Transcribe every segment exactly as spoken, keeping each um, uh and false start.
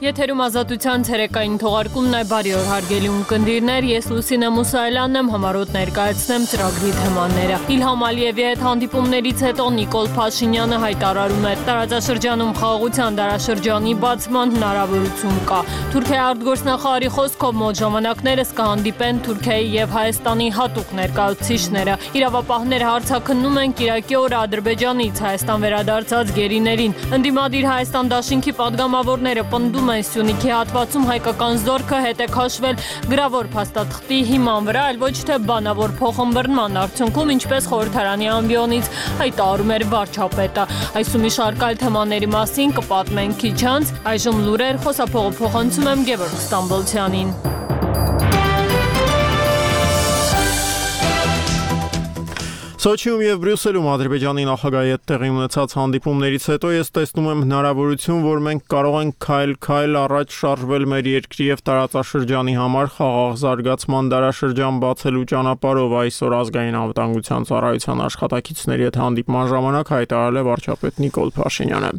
Եթերում ազատության ցերեկային թողարկումն է, բարի օր հարգելի ունկնդիրներ, ես Լուսինե Մուսայելյանն եմ, համառոտ ներկայացնեմ ծրագրի թեմաները։ Իլհամ Ալիևի հետ հանդիպումներից հետո Նիկոլ Փաշինյանը հայտարարում է, տարածաշրջանում խաղաղության դարաշրջանի բացման հնարավորություն կա։ Թուրքիայի արտգործնախարարի խոսքով մոտ ժամանակներս կհանդիպեն Թուրքիայի եւ Հայաստանի հատուկ ներկայացուցիչները։ Իրավապահները հարցաքննում են Կիրակի օրը Ադրբեջանից Հայաստան վերադարձած գերիներին։ Ընդդիմադիր Հայաստան դաշինքի պատգամավորները պնդում են Սյունիքի հատվածում հայկական զորքը հետ է քաշվել գրավոր փաստաթղթի հիման վրա, այլ ոչ թե բանավոր փոխըմբռնման արդյունքում, ինչպես խորհրդարանի ամբիոնից հայտարարում էր վարչապետը։ Այս ու մի շարք այլ թեմաների մասին կպատմենք քիչ անց, այժմ լուրեր, խոսափողը փոխանցում եմ Գևորգ Ստամբոլցյանին։ Սոչիում եւ Բրյուսելում Ադրբեջանի նախագահի հետ տեղի ունեցած հանդիպումներից հետո ես տեսնում եմ հնարավորություն, որ մենք կարող ենք քայլ-քայլ առաջ շարժվել մեր երկրի եւ տարածաշրջանի համար խաղաղ զարգացման դարաշրջան բացելու ճանապարհով, այսօր ազգային անվտանգության ծառայության աշխատակիցների հետ հանդիպման ժամանակ հայտարարել է վարչապետ Նիկոլ Փաշինյանը։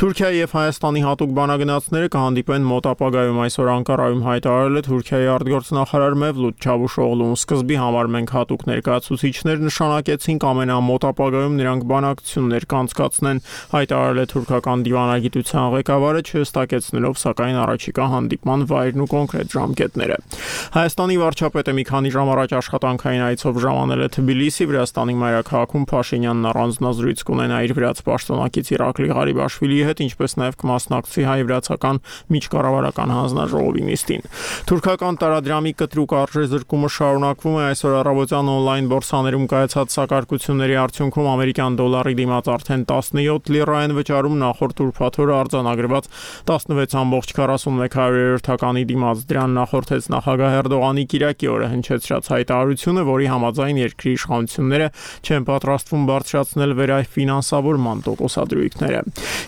Թուրքիայի եւ Հայաստանի հատուկ բանագնացները կհանդիպեն մոտ ապագայում, այսօր Անկարայում հայտարարել է Թուրքիայի արտգործնախարար Մևլութ Չավուշօղլուն։ Սկզբի համար մենք հատուկ ներկայացուցիչներ նշանակեց ամենամոտ ապագայում նրանք բանակցություններ կանցկացնեն, հայտարարել է թուրքական դիվանագիտության ղեկավարը, չհստակեցնելով սակայն առաջիկա հանդիպման վայրն ու կոնկրետ ժամկետները։ Հայաստանի վարչապետը մի քանի ժամ առաջ աշխատանքային այցով ժամանել է Թբիլիսի, Վրաստանի մայրաքաղաքում Փաշինյանն առանձնազրույց կունենա իր վրաց պաշտոնակից Իրակլի Ղարիբաշվիլիի հետ, ինչպես նաև կմասնակցի հայ-վրացական միջկառավարական հանձնաժողովի նիստին։ Թուրքական տարադրամի կտրուկ արժեզրկումը շարունակվում է, այսօր առավոտյան օնլայն բորսաներում կայացած Սակարկությունների արդյունքում ամերիկյան դոլարի դիմաց արդեն տասնյոթ լիրա են վճարում, նախորդ ուրբաթ օրը արձանագրված տասնվեց կόμma քառասունմեկ հարյուրյոթականի դիմաց դրան նախորդեց նախագահ Էրդողանի Կիրակի օրը հնչեցրած հայտարարությունը, որի համաձայն երկրի իշխանությունները չեն պատրաստվում բարձրացնել վերաֆինանսավորման տոկոսադրույքները։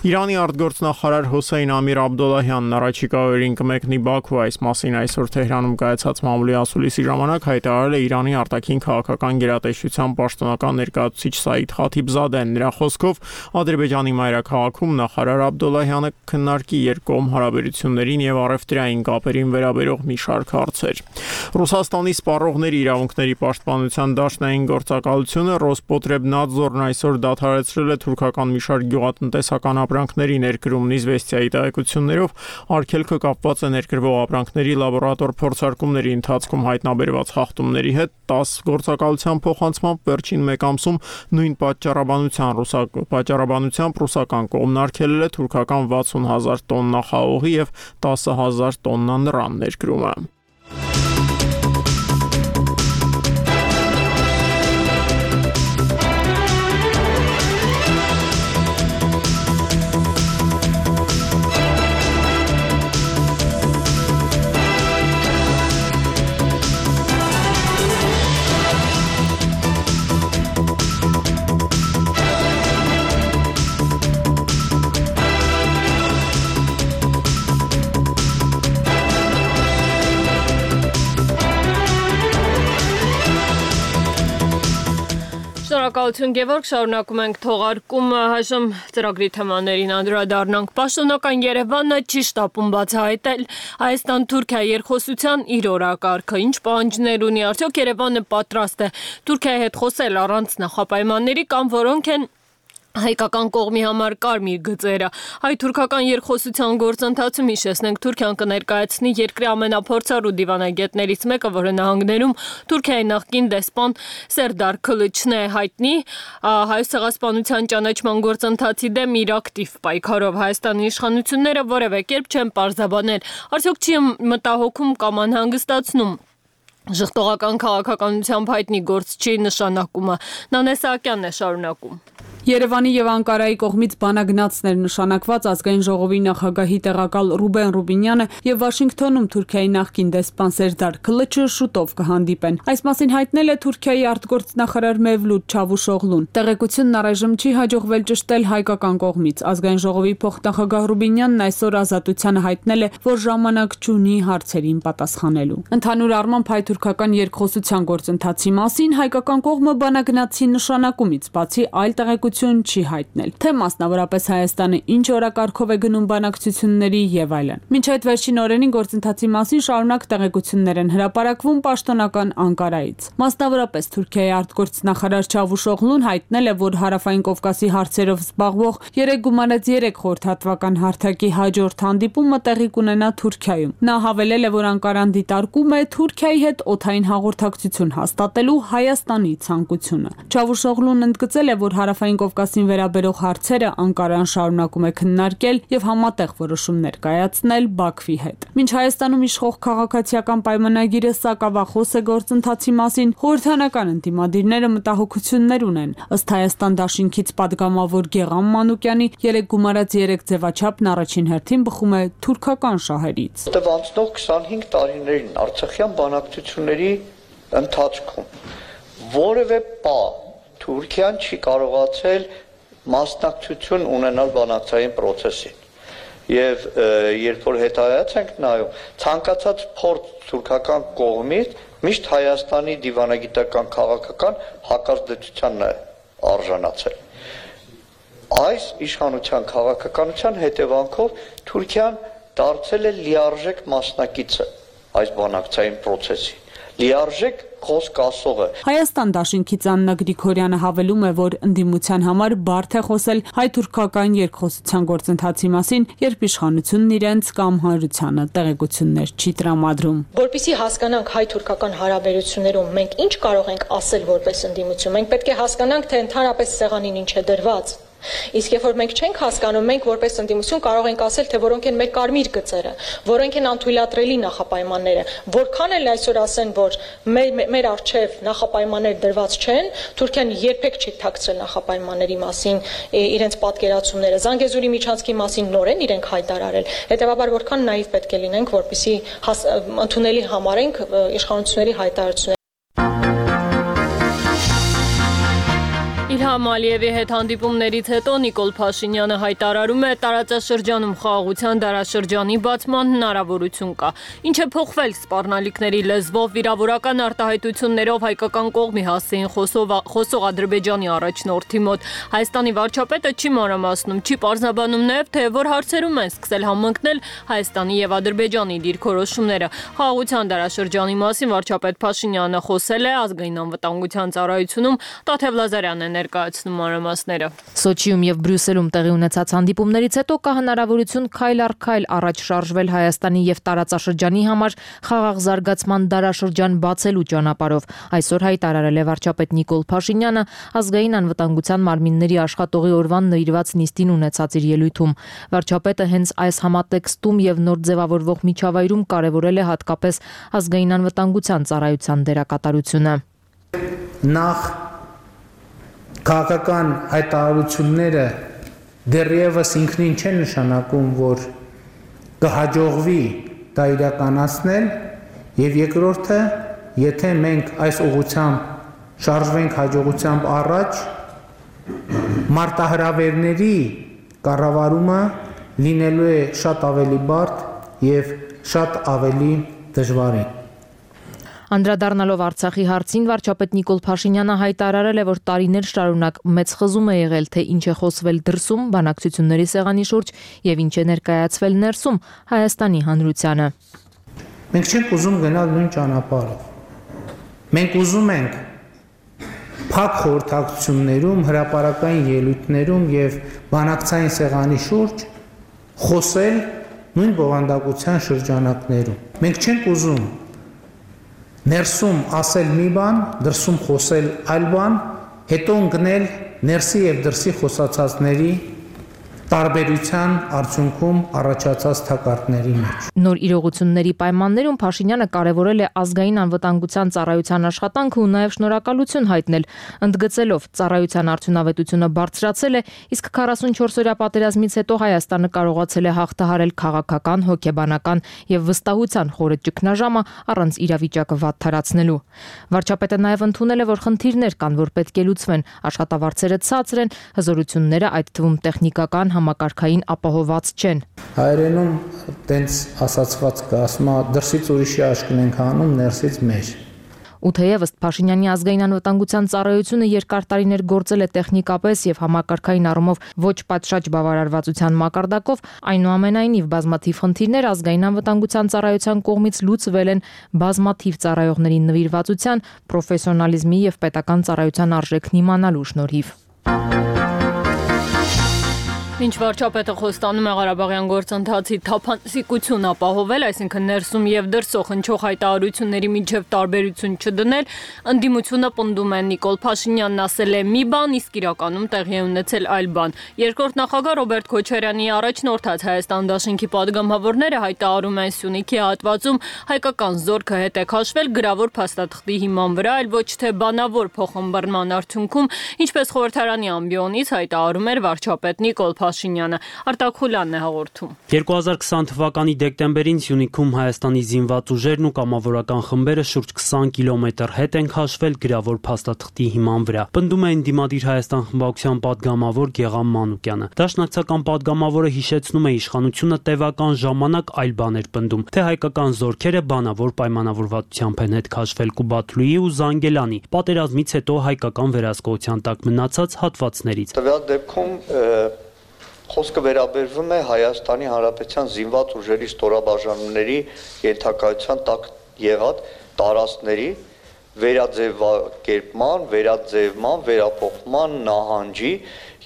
Իրանի արտգործնախարար Հոսեյն Ամիր Աբդոլլահյանն առաջիկա օրերին կմեկնի Բաքու, այս մասին այսօր Թեհրանում կայացած մամուլի ասուլիսի ժամանակ հայտարարել է Իրանի արտաքին քաղաքական գերատեսչության պաշտոնական ներկայացուցիչ Սաիդ Խաթիբզադեն։ Նրա խոսքով Ադրբեջանի մայրաքաղաքում նախարար Աբդոլլահյանը քննարկի երկկողմ հարաբերություններին եւ առևտրային կապերին վերաբերող մի շարք հարցեր։ Ռուսաստանի սպառողների իրավունքների պաշտպանության դաշնային գործակալությունը Ռոսպոտրեբնadzorն այսօր դադարեցրել է թուրքական մի շարք գյուղատնտեսական ապրանքների ներկրումն Իզվեստիայի տեղեկություններով, արգելքը կապված է ներկրվող ապրանքների լաբորատոր փորձարկումների ընթացքում հայտնաբերված խախտումների հետ, տասը գործակալության փոխանցմամբ վերջին մեկ ամսում նույն պատճառաբանության ռուսակ պատճառաբանությամբ ռուսական կողմն արգելել է թուրքական վաթսուն հազար տոննա խաղողի եւ տասը հազար տոննա նռան ներկրումը։ Շնորհակալություն Գևորգ, շարունակում ենք թողարկումը, այժմ ծրագրի թեմաներին անդրադառնանք։ Պաշտոնական Երևանը չի շտապում բացահայտել Հայաստան-Թուրքիա երկխոսության իր օրակարգը, ինչ պահանջներ ունի, արդյոք Երևանը պատրաստ է Թուրքիայի հետ խոսել առանց նախապայմանների կամ որոնք են հայկական կողմի համար կարմիր գծերը։ Հայ-թուրքական երկխոսության գործընթացում հիշեցնենք Թուրքիան կներկայացնի երկրի ամենափորձառու դիվանագետներից մեկը, որը նահանգներում Թուրքիայի նախկին դեսպան Սերդար Քլիչն է հայտնի հայոց ցեղասպանության ճանաչման գործընթացի դեմ իր ակտիվ պայքարով։ Հայաստանի իշխանությունները որևէ կերպ չեն պարզաբանել, արդյոք չի մտահոգում կամ անհանգստացնում ժխտողական քաղաքականությամբ հայտնի գործչի նշանակումը։ Նանե Սահակյանն է շարունակում։ Երևանի եւ Անկարայի կողմից բանագնացներ նշանակված ազգային ժողովի նախագահի տեղակալ Ռուբեն Ռուբինյանը եւ Վաշինգտոնում Թուրքիայի նախկին դեսպան Սերդար Քլիչը շուտով կհանդիպեն։ Այս մասին հայտնել է Թուրքիայի արտգործնախարար Մևլութ Չավուշօղլուն։ Տեղեկությունն առայժմ չի հաջողվել ճշտել հայկական կողմից։ Ազգային ժողովի փոխնախագահ Ռուբինյանն այսօր Ազատությանը հայտնել է, որ ժամանակ չունի հարցերին պատասխանելու։ Ընդհանուր առմամբ հայ-թուրքական երկխոսության գործընթացի մասին հայկական կողմը բանագնացի նշանակումից բացի այլ տեղեկություններ տեղեկություն չի հայտնել, թե մասնավորապես Հայաստանը ինչ օրակարգով է գնում բանակցությունների եւ այլն։ Մինչ այդ վերջին օրերին գործընթացի մասին շարունակ տեղեկություններ են հրապարակվում պաշտոնական Անկարայից։ Մասնավորապես Թուրքիայի արտգործնախարար Չավուշօղլուն հայտնել է, որ Հարավային Կովկասի հարցերով զբաղվող երեք գումարած երեք խորհրդատվական հարթակի հաջորդ հանդիպումը տեղի կունենա Թուրքիայում։ Նա հավելել է, որ Անկարան դիտարկում է Թուրքիայի հետ օդային հաղորդակցություն հաստատելու Հայաստանի ցանկությունը։ Չավուշօղլուն ընդգծել է, որ Հարավային Կովկասին վերաբերող հարցերը Անկարան շարունակում է քննարկել եւ համատեղ որոշումներ կայացնել Բաքվի հետ։ Մինչ Հայաստանում իշխող քաղաքացիական պայմանագիրը սակավախոս է գործընթացի մասին, խորհրդանական ընդդիմադիրները մտահոգություններ ունեն։ Ըստ Հայաստան դաշինքից падգամավոր Գեղամ Մանուկյանի երեք գումարած երեք ձևաչափն առաջին հերթին բխում է թուրքական շահերից։ Անցնող քսանհինգ տարիներին Արցախյան բանակցությունների ընթացքում որևէ պա Թուրքիան չի կարողացել մասնակցություն ունենալ բանակցային process-ին։ Եվ երբ որ հետայաց ենք նայում, ցանկացած փորձ թուրքական կողմից միշտ Հայաստանի դիվանագիտական քաղաքական հակազդեցությանն է արժանացել։ Այս իշխանության քաղաքականության հետևանքով Թուրքիան դարձել է լիարժեք մասնակիցը այս բանակցային process-ի։ Լիարժեք խոսք ասողը։ Հայաստան դաշինքից Աննա Գրիգորյանը հավելում է, որ ընդդիմության համար բարդ է խոսել հայ-թուրքական երկխոսության գործընթացի մասին, երբ իշխանությունն իրենց կամ հանրությանը տեղեկություններ չի տրամադրում։ Որպեսզի հասկանանք հայ-թուրքական հարաբերություններում մենք ինչ կարող ենք ասել որպես ընդդիմություն, մենք պետք է հասկանանք, թե ընդհանրապես սեղանին ինչ է դրված։ Իսկ երբ որ մենք չենք հասկանում, մենք որպես ընդդիմություն կարող ենք ասել, թե որոնք են մեր կարմիր գծերը, որոնք են անթույլատրելի նախապայմանները, որքան էլ այսօր ասեն, որ մեր մեր արժև նախապայմաններ դրված չեն, Թուրքիան երբեք չի թաքցրել նախապայմանների մասին իրենց պատկերացումները, Զանգեզուրի միջանցքի մասին նորեն իրենք հայտարարել։ Հետևաբար որքան նաիվ պետք է լինենք, որպեսզի ընդունելի համարենք իշխանությունների հայտարարությունները։ Իլհամ Ալիևի հետ հանդիպումներից հետո Նիկոլ Փաշինյանը հայտարարում է տարածաշրջանում խաղաղության դարաշրջանի բացման հնարավորություն կա։ Ինչ է փոխվել սպառնալիքների լեզվով վիրավորական արտահայտություններով հայկական կողմի հասցեին խոսող Ադրբեջանի առաջնորդի մոտ։ Հայաստանի վարչապետը չի մանրամասնում, չի պարզաբանում նաև, թե որ հարցերում են սկսել համընկնել Հայաստանի եւ Ադրբեջանի դիրքորոշումները։ Խաղաղության դարաշրջանի մասին վարչապետ Փաշինյանը խոսել է ազգային անվտանգության ծառայությունում, Տաթև Լազարյանն է ներկայացնում մանրամասները։ Սոչիում եւ Բրյուսելում տեղի ունեցած հանդիպումներից հետո կա հնարավորություն քայլ առ քայլ առաջ շարժվել Հայաստանի եւ տարածաշրջանի համար խաղաղ զարգացման դարաշրջան բացելու ճանապարհով։ Այսօր հայտարարել է վարչապետ Նիկոլ Փաշինյանը ազգային անվտանգության մարմինների աշխատողի օրվան նվիրված նիստին ունեցած իր ելույթում։ Վարչապետը հենց այս համատեքստում եւ նոր ձևավորվող միջավայրում կարևորել է հատկապես ազգային անվտանգության ծառայության դերակատարությունը։ Նախ քաղաքական հայտարարությունները դեռևս ինքնին չեն նշանակում, որ կհաջողվի դա իրականացնել, եւ երկրորդը, եթե մենք այս ուղղությամբ շարժվենք հաջողությամբ առաջ, մարտահրավերների կառավարումը լինելու է շատ ավելի բարդ եւ շատ ավելի դժվարին։ Անդրադառնալով Արցախի հարցին վարչապետ Նիկոլ Փաշինյանը հայտարարել է, որ տարիներ շարունակ մեծ խզում է եղել, թե ինչ է խոսվել դրսում բանակցությունների սեղանի շուրջ եւ ինչ է ներկայացվել ներսում Հայաստանի հանրությանը։ Մենք չենք ուզում գնալ նույն ճանապարհով։ Մենք ուզում ենք փակ խորհրդակցություններում, հրապարակային ելույթներում եւ բանակցային սեղանի շուրջ խոսել նույն բովանդակության շրջանակներում։ Մենք չենք ուզում ներսում ասել մի բան, դրսում խոսել այլ բան, հետո ընկնել ներսի եւ դրսի խոսացածների տարբերության արդյունքում առաջացած թակարդների մեջ։ Նոր իրողությունների պայմաններում Փաշինյանը կարևորել է ազգային անվտանգության ծառայության աշխատանքը ու նաև շնորհակալություն հայտնել, ընդգծելով ծառայության արդյունավետությունը բարձրացել է, իսկ քառասունչորս-օրյա պատերազմից հետո Հայաստանը կարողացել է հաղթահարել քաղաքական, հոգեբանական եւ վստահության խորը ճգնաժամը առանց իրավիճակը վատթարացնելու։ Վարչապետը նաև ընդունել է, որ խնդիրներ կան, որ պետք է լուծվեն, աշխատավարձերը ցածր են, հզորությունները, այդ թվում տեխնիկական համակարգային ապահոված չեն։ Հայերենում տենց ասացված կա, ասում է դրսից ուրիշի աշկն ենք անում, ներսից մեր։ Ու թեև ըստ Փաշինյանի ազգային անվտանգության ծառայությունը երկար տարիներ գործել է տեխնիկապես եւ համակարգային առումով ոչ պատշաճ բավարարվածության մակարդակով, այնուամենայնիվ բազմաթիվ խնդիրներ ազգային անվտանգության ծառայության կողմից լուծվել են բազմաթիվ ծառայողների նվիրվածության, պրոֆեսիոնալիզմի եւ պետական ծառայության արժեքն իմանալու շնորհիվ։ Ինչ վարչապետը խոստանում է Ղարաբաղյան գործընթացի թափանցիկություն ապահովել, այսինքն ներսում եւ դրսող հնչող հայտարարությունների միջև տարբերություն չդնել, ընդդիմությունը պնդում է Նիկոլ Փաշինյանն ասել է մի բան, իսկ իրականում տեղի է ունեցել այլ բան։ Երկրորդ նախագահ Ռոբերտ Քոչարյանի առաջնորդած Հայաստան դաշինքի падգամավորները հայտարարում են Սյունիքի հատվածում հայկական զորքը հետ է քաշվել գրավոր փաստաթղթի հիման վրա, այլ ոչ թե բանավոր փոխըմբռնման արդյունքում, ինչպես խորհրդարանի ամբիոնից հայտարարում էր վարչապետ Նիկոլ Փաշինյանը։ Արտակ Խուլյանն է հաղորդում։ երկու հազար քսան թվականի դեկտեմբերին Սյունիքում Հայաստանի զինված ուժերն ու կամավորական խմբերը շուրջ քսան կիլոմետր հետ են քաշվել գրավոր փաստաթղթի հիման վրա։ Պնդում է Ընդդիմադիր Հայաստան խմբակցության падգամավոր Գեղամ Մանուկյանը։ Դաշնակցական падգամավորը հիշեցնում է իշխանությունը տևական ժամանակ այլ բաներ պնդում, թե հայկական զորքերը բանավոր պայմանավորվածությամբ են հետ քաշվել Կուբաթլուի ու Զանգելանի, պատերազմից հետո հայկական վերահսկողության տակ մնացած հատվածներից։ Տվյալ դեպքում խոսքը վերաբերվում է Հայաստանի Հանրապետության զինված ուժերի ստորաբաժանումների ենթակայության տակ եղած տարածքների վերաձևակերպման, վերաձևման, վերափոխման նահանջի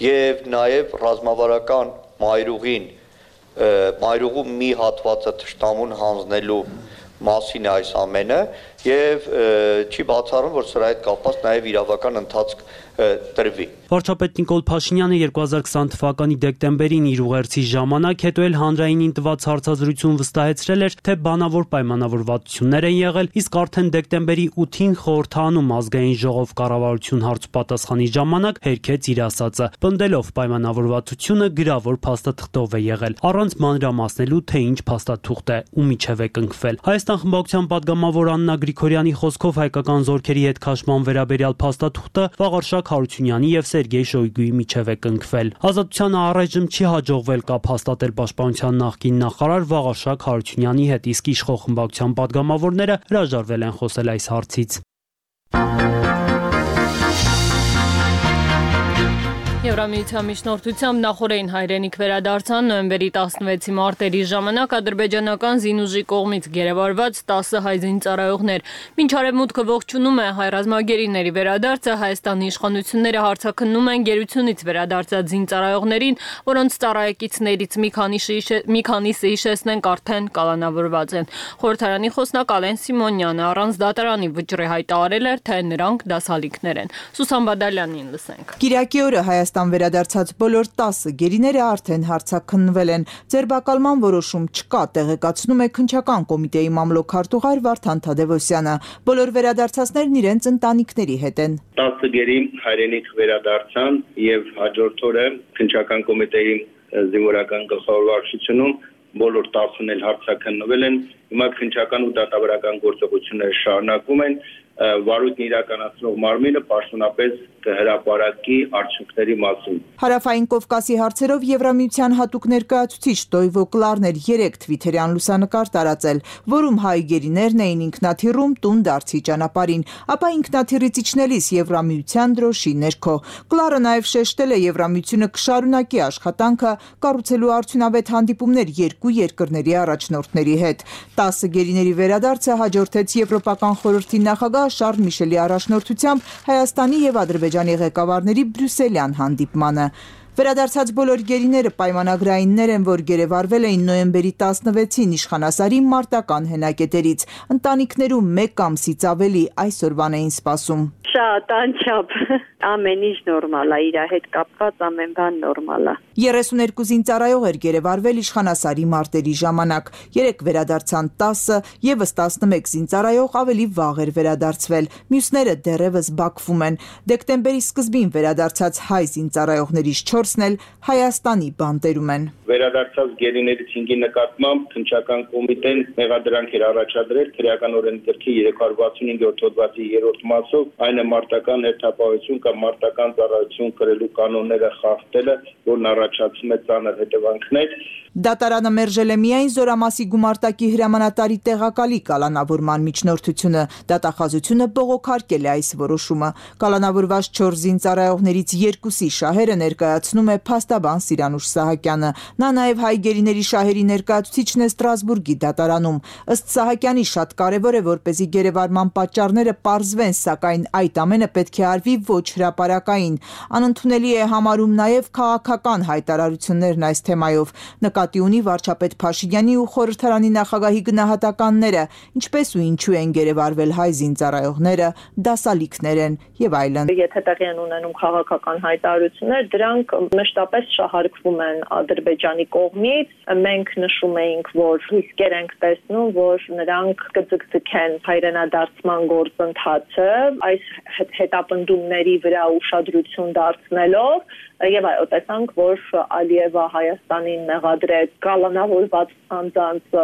եւ նաեւ ռազմավարական մայրուղին, մայրուղու մի հատվածը թշնամուն հանձնելու մասին է այս ամենը եւ չի բացառում, որ սրա հետ կապված նաեւ իրավական ընթացք տրվի։ Վարչապետ Նիկոլ Փաշինյանը երկու հազար քսան թվականի դեկտեմբերին իր ուղերձի ժամանակ հետո էլ հանրայինին տված հարցազրույցում վստահեցրել էր, թե բանավոր պայմանավորվածություններ են եղել, իսկ արդեն դեկտեմբերի ութին խորհրդանում ազգային ժողով կառավարություն հարցպատասխանի ժամանակ հերքեց իր ասածը, պնդելով պայմանավորվածությունը գրավոր փաստաթղթով է եղել, առանց մանրամասնելու, թե ինչ փաստաթուղթ է ու միջև է կնքվել։ Հայաստան խմբակցության падգամավոր Աննա Գրիգորյանի խոսքով հայկական զորքերի հետ քաշման վերաբերյալ փաստաթուղթը Վաղարշակ Հարությունյանի եւ Սերգեյ Շոյգուի միջև է կնքվել։ Ազատությանը առայժմ չի հաջողվել կապ հաստատել պաշտպանության նախկին նախարար Վաղարշակ Հարությունյանի հետ, իսկ իշխող խմբակցության падգամավորները հրաժարվել են խոսել այս հարցից։ Եվրամիության միջնորդությամբ նախորդային հայրենիք վերադարձան նոյեմբերի տասնվեցի մարտերի ժամանակ ադրբեջանական զինուժի կողմից գերեվարված տասը հայ զինծառայողներ։ Մինչ արևմուտքը ողջունում է հայ ռազմագերիների վերադարձը, Հայաստանի իշխանությունները հարցաքննում են գերությունից վերադարձած զինծառայողներին, որոնց ծառայեկիցներից մի քանիսը մի քանիսը հիշեցնենք արդեն կալանավորված են։ Խորհրդարանի խոսնակ Ալեն Սիմոնյանը առանց դատարանի վճռի հայտարարել էր, թե նրանք դասալիքներ են։ Սուսան Բադալյանին լսենք։ Կիրակի օրը Հայաստան վերադարձած բոլոր տասը գերիները արդեն հարցաքննվել են։ Ձերբակալման որոշում չկա, տեղեկացնում է քննչական կոմիտեի մամլոք-քարտուղար Վարդան Թադևոսյանը։ Բոլոր վերադարձածներն իրենց ընտանիքների հետ են։ տասը գերի հայրենիք վերադարձան եւ հաջորդ օրը քննչական կոմիտեի զինվորական գլխավոր վարչությունում բոլոր տասն էլ հարցաքննվել են։ Հիմա քննչական ու դատավարական գործողությունները շարունակվում են։ Վարույթն իրականացնող մարմինը պաշտոնապես կհրապարակի արդյունքների մասին։ Հարավային Կովկասի հարցերով Եվրամիության հատուկ ներկայացուցիչ Տոյվո Կլարներ երեք թվիթերյան լուսանկար տարածել, որում հայ գերիներն էին ինքնաթիռում տուն դարձի ճանապարհին, ապա ինքնաթիռից իջնելիս Եվրամիության դրոշի ներքո։ Կլարը նաև շեշտել է Եվրամիությունը կշարունակի աշխատանքը կառուցելու արդյունավետ հանդիպումներ երկու երկրների առաջնորդների հետ։ տասը գերիների վերադարձը հաջորդեց Եվրոպական խորհրդի նախագահ Շարլ Միշելի առաջնորդությամբ Հայաստանի եւ Ադրբեջանի ղեկավարների բրյուսելյան հանդիպմանը։ Վերադարձած բոլոր գերիները պայմանագրայիններ են, որ գերեվարվել էին նոյեմբերի տասնվեցին իշխանասարի մարտական հենակետերից։ Ընտանիքներում մեկ ամսից ավելի այսօրվան էին սպասում։ Շատ անչափ, ամեն ինչ նորմալ է, իր հետ կապված ամեն բան նորմալ է։ երեսուներկու զինծառայող էր գերեվարվել իշխանասարի մարտերի ժամանակ։ Երեք վերադարձան տասը, եւս տասնմեկ զինծառայող ավելի վաղ էր վերադարձվել։ Մյուսները դեռևս Բաքվում են։ Դեկտեմբերի սկզբին վերադարձած հայ զինծառայողներից չորսն էլ Հայաստանի բանտերում են։ Վերադարձած գերիներից հինգի նկատմամբ քննչական կոմիտեն մեղադրանք էր առաջադրել քրեական օրենսգրքի երեք հարյուր վաթսունհինգ հոդվածի երրորդ մասով, այն է մարտական հերթապահություն կամ մարտական ծառայություն կրելու կանոնները խախտելը, որն առաջ առաջացում է ծանր հետևանքներ։ Դատարանը մերժել է միայն Զորամասի գումարտակի հրամանատարի տեղակալի կալանավորման միջնորդությունը, դատախազությունը բողոքարկել է այս որոշումը։ Կալանավորված չորս զինծառայողներից երկուսի շահերը ներկայացնում է փաստաբան Սիրանուշ Սահակյանը։ Նա նաև հայ գերիների շահերի ներկայացուցիչն է Ստրասբուրգի դատարանում։ Ըստ Սահակյանի շատ կարևոր է, որպեսզի գերեվարման պատճառները պարզվեն, սակայն այդ ամենը պետք է արվի ոչ հրապարակային։ Անընդունելի է համարում նաև քաղաքական հայտարարություններն այս թեմայով։ Նկատի ունի վարչապետ Փաշինյանի ու խորհրդարանի նախագահի գնահատականները, ինչպես ու ինչու են գերեվարվել հայ զինծառայողները, դասալիքներ են եւ այլն։ Եթե տեղի են ունենում քաղաքական հայտարարություններ, դրանք մշտապես շահարկվում են Ադրբեջանի կողմից։ Մենք նշում էինք, որ ռիսկեր ենք տեսնում, որ նրանք կձգձգեն հայրենադարձման գործընթացը, այս հետապնդումների վրա ուշադրություն դարձնելով, եւ այո, տեսանք, որ Ալիևը Հայաստանին մեղադրեց կալանավորված անձանց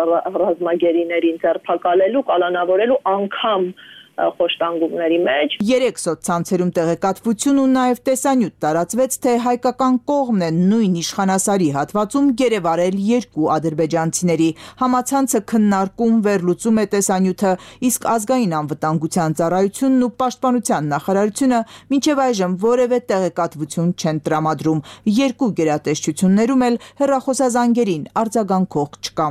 ռազմագերիներին ձերբակալելու, կալանավորելու անգամ խոշտանգումների մեջ։ Երեք սոցցանցերում տեղեկատվություն ու նաև տեսանյութ տարածվեց, թե հայկական կողմն է նույն իշխանասարի հատվածում գերեվարել երկու ադրբեջանցիների։ Համացանցը քննարկում վերլուծում է տեսանյութը, իսկ ազգային անվտանգության ծառայությունն ու պաշտպանության նախարարությունը մինչև այժմ որևէ տեղեկատվություն չեն տրամադրում։ Երկու գերատեսչություններում էլ հեռախոսազանգերին արձագանքող չկա։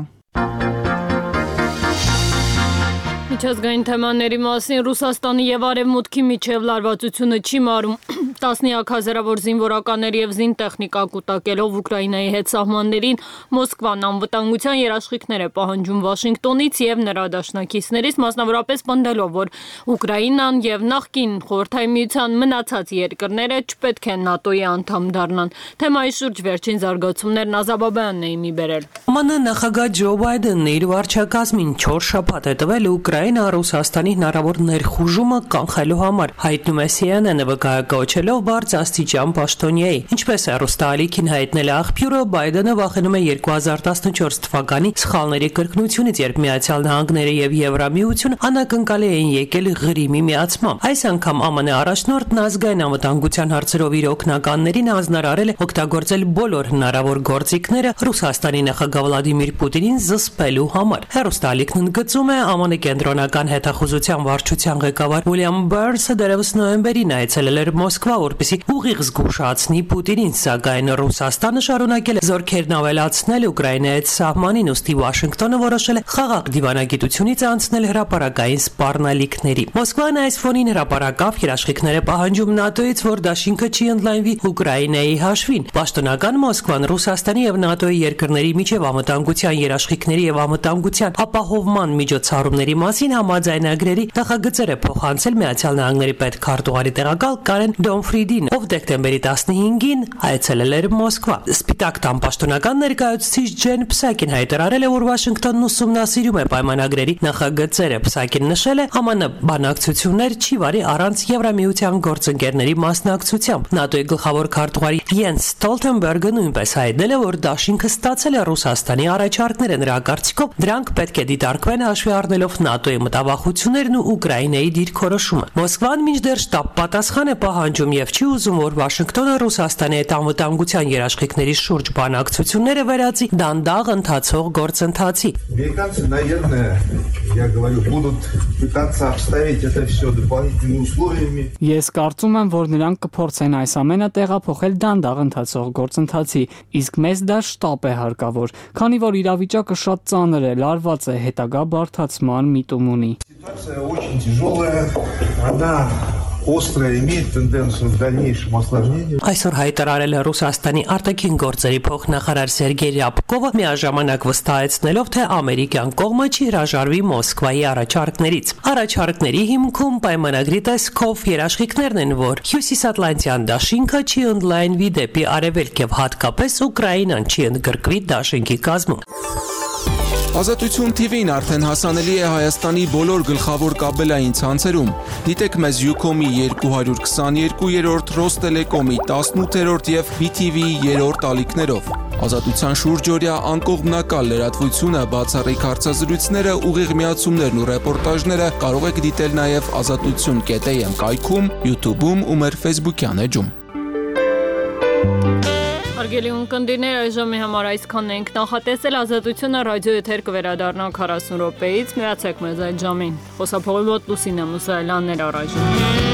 Միջազգային թեմաների մասին Ռուսաստանի եւ Արևմուտքի միջև լարվածությունը չի մարում։ Տասնյակ հազարավոր զինվորականների եւ զինտեխնիկա կուտակելով Ուկրաինայի հետ սահմաններին Մոսկվան անվտանգության երաշխիքներ է պահանջում Վաշինգտոնից եւ նրա դաշնակիցներից, մասնավորապես պնդելով, որ Ուկրաինան եւ նախկին Խորհրդային Միության մնացած երկրները չպետք է ՆԱՏՕ-ի անդամ դառնան։ Թեմայի շուրջ վերջին զարգացումներն Ազաբաբյանն էին մի բերել։ ԱՄՆ նախագահ Ջո Բայդենն իր վարչակազմին չորս շաբաթ է տվել Ուկրաինա Ռուսաստանի հնարավոր ներխուժումը կանխելու համար, հայտնում է C N N-ը վկայակոչելով բարձրաստիճան պաշտոնյայի։ Ինչպես է ռուստալիքին հայտնել աղբյուրը, Բայդենը վախենում է երկու հազար տասնչորս թվականի սխալների կրկնությունից, երբ Միացյալ Նահանգները եւ Եվրամիությունը անակնկալի էին եկել Ղրիմի միացմամբ։ Այս անգամ Ամն առաջնորդն ազգային անվտանգության հարցերով իր օգնականներին հանձնարարել է օգտագործել բոլոր հնարավոր գործիքները Ռուսաստանի նախագահ Վլադիմիր Պուտինին զսպելու համար։ Հեռուստալիքն ընդգծում է ԱՄՆ կենտրոնական հետախուզության վարչության ղեկավար Ուիլյամ Բերնսը դեռևս նոյեմբերին այցելել էր Մոսկվա, որպեսզի ուղիղ զգուշացնի Պուտինին, սակայն Ռուսաստանը շարունակել է զորքերն ավելացնել Ուկրաինայի հետ սահմանին, ուստի Վաշինգտոնը որոշել է խաղաղ դիվանագիտությունից անցնել հրապարակային սպառնալիքների։ Մոսկվան այս ֆոնին հրապարակավ երաշխիքներ է պահանջում ՆԱՏՕ-ից, որ դաշինքը չի ընդլայնվի Ուկրաինայի հաշվին։ Պաշտոնական Մոսկվան Ռուսաստանի եւ ՆԱՏՕ-ի երկրների միջև անվտանգության երաշխիքների եւ անվտանգության ապահովման միջոցառումների մասին համաձայնագրերի նախագծեր է փոխանցել Միացյալ Նահանգների պետքարտուղարի տեղակալ Կարեն Դոնֆրիդին, ով դեկտեմբերի տասնհինգին այցելել էր Մոսկվա։ Սպիտակ տան պաշտոնական ներկայացուցիչ Ջեն Փսակին հայտարարել է, որ Վաշինգտոնն ուսումնասիրում է պայմանագրերի նախագծերը։ Փսակին նշել է, ԱՄՆ բանակցություններ չի վարի առանց Եվրամիության գործընկերների մասնակցությամբ։ ՆԱՏՕ-ի գլխավոր քարտուղարի Յենս Ստոլթենբերգը նույնպես հայտնել է, որ դաշինքը ստացել է Ռուսաստանի առաջարկները, նրա կարծիքով դրանք պետք է դիտարկվեն հաշվի առնելով ՆԱՏՕ-ի մտավախություններն ու Ուկրաինայի դիրքորոշումը։ Մոսկվան մինչդեռ շտապ պատասխան է պահանջում եւ չի ուզում, որ Վաշինգտոնը Ռուսաստանի հետ անվտանգության երաշխիքների շուրջ բանակցությունները վերածի դանդաղ ընթացող գործընթացի։ Американцы, наверное, я говорю, будут пытаться обставить это все дополнительными условиями. Ես կարծում եմ, որ նրանք կփորձեն այս ամենը տեղափոխել դանդաղ ընթացող գործընթացի, իսկ մեզ դա շտապ է հարկավոր, քանի որ իրավիճակը շատ ծանր է, լարված է, հետագա բարդացման միտում ունի։ Ситуация очень тяжелая, она острая, имеет тенденцию к дальнейшему осложнению. Այսօր հայտարարել է Ռուսաստանի արտաքին գործերի փոխնախարար Սերգեյ Ռյաբկովը, միաժամանակ վստահեցնելով, թե ամերիկյան կողմը չի հրաժարվի Մոսկվայի առաջարկներից։ Առաջարկների հիմքում պայմանագրի տեսքով երաշխիքներն են, որ Հյուսիսատլանտյան դաշինքը չի ընդլայնվի դեպի արևելք եւ հատկապես Ուկրաինան չի ընդգրկվի դաշինքի կազմում։ Ազատություն T V-ն արդեն հասանելի է Հայաստանի բոլոր գլխավոր կաբելային ցանցերում։ Դիտեք մեզ Ucom-ի երկու հարյուր քսաներկուերորդ, Ռոստելեկոմի տասնութերորդ եւ B T V-ի երրորդ ալիքներով։ Ազատության շուրջօրյա անկողմնակալ լրատվությունը, բացառիկ հարցազրույցները, ուղիղ միացումներն ու ռեպորտաժները կարող եք դիտել նաեւ ազատություն կետ A M կայքում, YouTube-ում ու մեր Facebook-յան էջում։ Հարգելի ունկնդիրներ, այժմի համար այսքանն ենք նախատեսել Ազատությունը ռադիո եթեր կվերադառնա քառասուն րոպեից, միացեք մեզ այդ ժամին։ Խոսափողի մոտ Լուսինե Մուսայելյանն էր առայժմ։